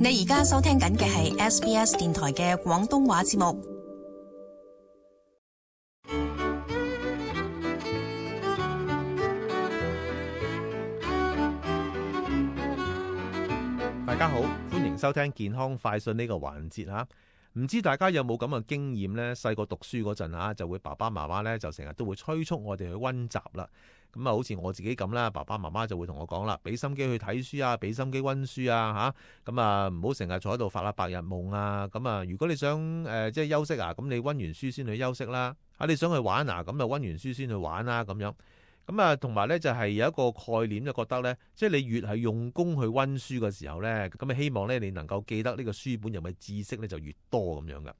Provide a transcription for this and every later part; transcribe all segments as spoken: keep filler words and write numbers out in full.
你而家收聽緊嘅係 S B S 電台嘅廣東話節目。大家好，歡迎收聽健康快訊呢個環節吓。唔知大家有冇咁嘅經驗呢？細個讀書嗰陣吓，就會爸爸媽媽呢就成日都會催促我哋去溫習啦。咁啊，好似我自己咁啦，爸爸媽媽就會同我講啦，俾心機去睇書啊，俾心機溫書啊吓。咁啊，唔好成日坐喺度發下白日夢啊。咁啊，如果你想誒、呃、即係休息啊，咁你溫完書先去休息啦。啊，你想去玩啊，咁就溫完書先去玩啦。咁樣。咁啊，同埋咧就係有一個概念，就覺得咧，即係你越係用功去溫書嘅時候咧，咁啊希望咧你能夠記得呢個書本入面嘅知識咧就越多咁樣噶。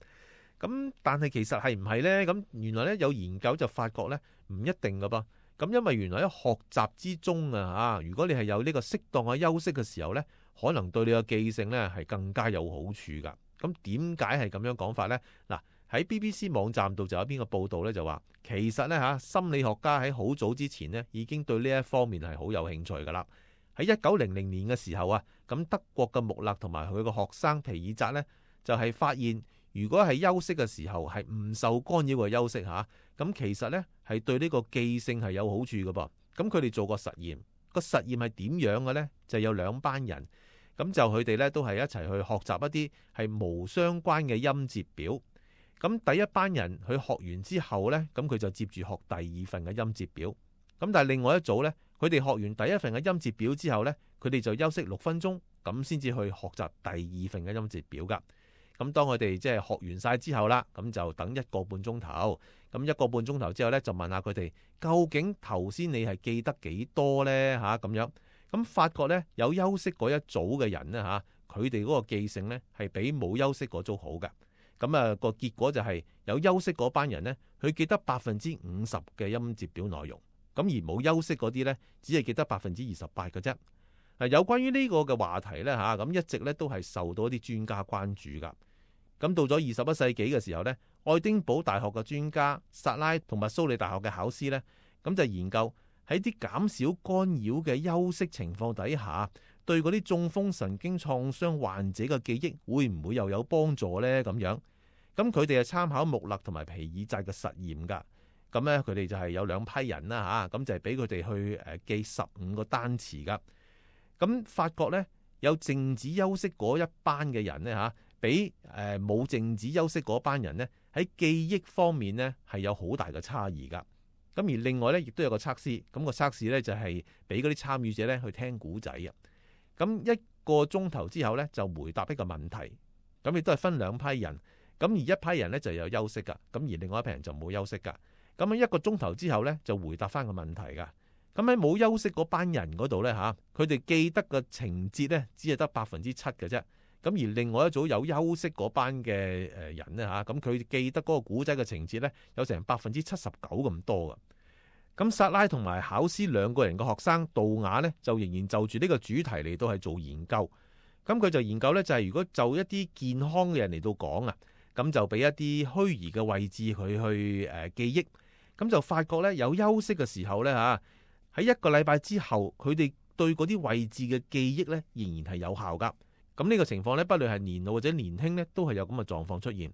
咁但係其實係唔係咧？咁原來咧有研究就發覺咧唔一定噶噃。咁因為原來喺學習之中啊，嚇，如果你係有呢個適當嘅休息嘅時候咧，可能對你嘅記性咧係更加有好處噶。咁點解係咁樣講法咧？嗱。喺 B B C 網站度就有邊個報道咧，就話其實咧嚇心理學家喺好早之前呢已經對呢一方面係好有興趣噶啦。喺一九零零年嘅時候啊，咁德國嘅穆勒同埋佢個學生皮爾扎呢，就係發現，如果係休息嘅時候係唔受干擾嘅休息嚇，咁其實呢係對呢個記性係有好處噶噃。咁佢哋做過實驗，個實驗係點樣嘅呢？就有兩班人，咁就佢哋呢都係一齊去學習一啲係無相關嘅音節表。咁第一班人佢學完之後呢，咁佢就接住學第二份嘅音節表。咁但係另外一組呢，佢哋學完第一份嘅音節表之後呢，佢哋就休息六分鐘，咁先至去學習第二份嘅音節表噶。咁當佢哋即係學完晒之後啦，咁就等一個半鐘頭。咁一個半鐘頭之後呢，就問下佢哋究竟頭先你係記得幾多呢？吓咁樣。咁發覺呢，有休息嗰一組嘅人呢，吓，佢哋嗰個記性呢係比冇休息嗰組好嘅。咁啊，個結果就係有休息嗰班人呢，佢記得百分之五十嘅音節表內容，咁而冇休息嗰啲呢，只係記得百分之二十八嘅啫。有關於呢個嘅話題呢，吓，咁一直呢都係受到一啲專家關注噶。咁到咗二十一世紀嘅時候呢，愛丁堡大學嘅專家薩拉同埋蘇里大學嘅考師呢，咁就研究喺啲減少干擾嘅休息情況底下，對嗰啲中風神經創傷患者嘅記憶會唔會又有幫助呢？咁樣，咁佢哋係參考穆勒同埋皮爾扎嘅實驗噶。咁咧，佢哋就係有兩批人啦吓，咁就係俾佢哋去誒記十五個單詞噶。咁發覺咧，有靜止休息嗰一班嘅人咧吓，比誒冇靜止休息嗰班人咧喺記憶方面咧係有好大嘅差異噶。咁而另外咧，亦都有個測試，咁個測試咧就係俾嗰啲參與者咧去聽古仔啊。咁一個鐘頭之後咧，就回答一個問題。咁亦都係分兩批人。咁而一批人咧就有休息噶，咁而另外一批人就冇休息噶。咁喺一個鐘頭之後咧，就回答翻個問題噶。咁喺冇休息嗰班人嗰度咧吓，佢哋記得嘅情節咧，只係得百分之七嘅啫。咁而另外一組有休息嗰班嘅誒人咧吓，咁佢記得嗰個古仔嘅情節咧，有成百分之七十九咁多噶。咁薩拉同埋考斯兩個人嘅學生杜雅呢，就仍然就住呢個主題嚟到係做研究。咁佢就研究呢，就係如果就一啲健康嘅人嚟到講啊，咁就俾一啲虛擬嘅位置佢去誒記憶。咁就發覺呢，有休息嘅時候呢，吓，喺一個禮拜之後，佢哋對嗰啲位置嘅記憶呢，仍然係有效噶。咁呢個情況呢，不論係年老或者年輕呢，都係有咁嘅狀況出現。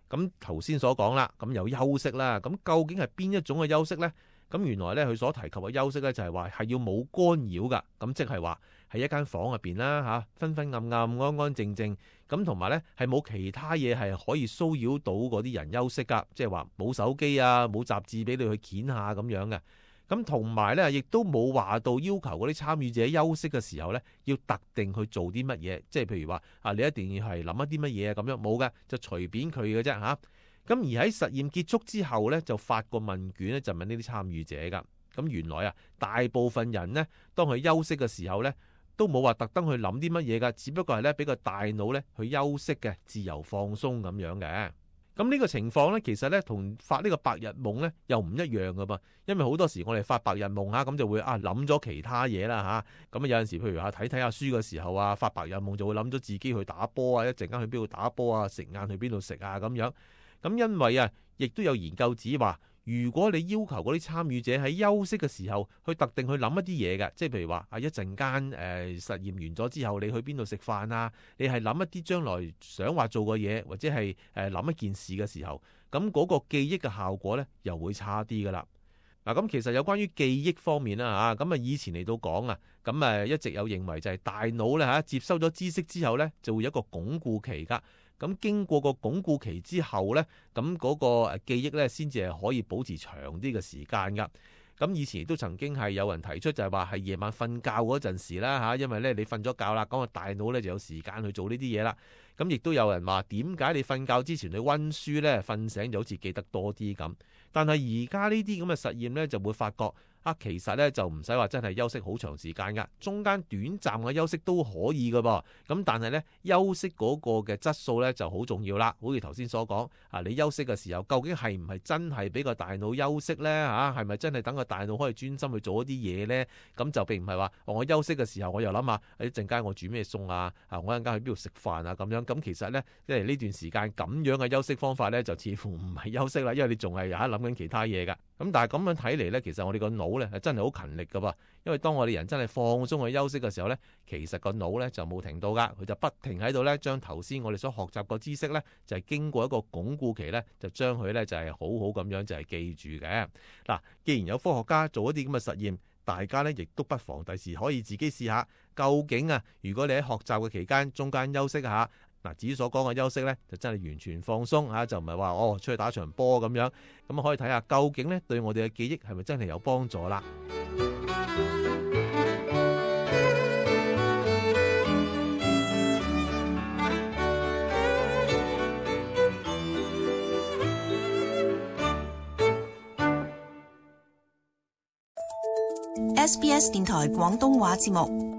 咁頭先所講啦，咁有休息啦，咁究竟係邊一種嘅休息呢？咁原來咧，佢所提及嘅休息咧，就係話係要冇干擾噶，咁即係話喺一間房入邊啦，吓，昏昏暗暗、安安靜靜，咁同埋咧係冇其他嘢係可以騷擾到嗰啲人休息噶，即係話冇手機啊，冇雜誌俾你去掀下咁樣嘅，咁同埋咧亦都冇話到要求嗰啲參與者休息嘅時候咧，要特定去做啲乜嘢，即係譬如話啊，你一定要係諗一啲乜嘢啊，咁樣冇嘅，就隨便佢嘅啫吓。咁而喺實驗結束之後咧，就發個問卷咧，就問呢啲參與者噶。咁原來啊，大部分人呢，當佢休息嘅時候咧，都冇話特登去諗啲乜嘢噶，只不過係咧俾個大腦咧去休息嘅，自由放鬆咁樣嘅。咁呢個情況咧，其實咧同發呢個白日夢咧又唔一樣噶噃。因為好多時我哋發白日夢吓，咁就會啊諗咗其他嘢啦吓。咁啊有陣時譬如話睇睇下書嘅時候啊，發白日夢就會諗咗自己去打波啊，一陣間去邊度打波啊，食晏去邊度食啊咁樣。咁因為啊，亦都有研究指話，如果你要求嗰啲參與者喺休息嘅時候去特定去諗一啲嘢嘅，即係譬如話啊一陣間誒實驗完咗之後，你去邊度食飯啊？你係諗一啲將來想話做嘅嘢，或者係誒諗一件事嘅時候，咁嗰個記憶嘅效果咧又會差啲噶啦。嗱，咁其實有關於記憶方面啦嚇，咁啊以前嚟到講啊，咁誒一直有認為就係大腦咧嚇接收咗知識之後咧，就會有一個鞏固期噶。咁經過個鞏固期之後咧，咁嗰個誒記憶咧先至係可以保持長啲嘅時間噶。咁以前亦都曾經係有人提出就係話係夜晚瞓覺嗰陣時啦嚇，因為咧你瞓咗覺啦，咁個大腦咧就有時間去做呢啲嘢啦。咁亦都有人話點解你瞓覺之前去温書咧，瞓醒就好似記得多啲咁。但係而家呢啲咁嘅實驗咧，就會發覺啊，其實咧就唔使話真係休息好長時間噶，中間短暫嘅休息都可以噶噃。咁但係咧休息嗰個嘅質素咧就好重要啦。好似頭先所講啊，你休息嘅時候究竟係唔係真係俾個大腦休息咧？嚇係咪真係等個大腦可以專心去做一啲嘢咧？咁就並唔係話我休息嘅時候我又諗下一陣間我煮咩餸啊？啊我一陣間去邊度食飯啊？咁樣咁其實咧即係呢段時間咁樣嘅休息方法咧，就似乎唔係休息啦，因為你仲係有喺諗緊其他嘢噶。咁但係咁樣睇嚟咧，其實我哋個腦咧係真係好勤力噶噃，因為當我哋人真係放鬆去休息嘅時候咧，其實個腦咧就冇停到噶，佢就不停喺度咧將頭先我哋所學習個知識咧，就係經過一個鞏固期咧，就將佢咧就係好好咁樣就係記住嘅。嗱，既然有科學家做一啲咁嘅實驗，大家咧亦都不妨第時可以自己試下，究竟啊，如果你喺學習嘅期間中間休息下。嗱，至於所講嘅休息咧，就真係完全放鬆嚇，就唔係話哦出去打場波咁樣，咁可以睇下究竟咧對我哋嘅記憶係咪真係有幫助啦。S B S 電台廣東話節目。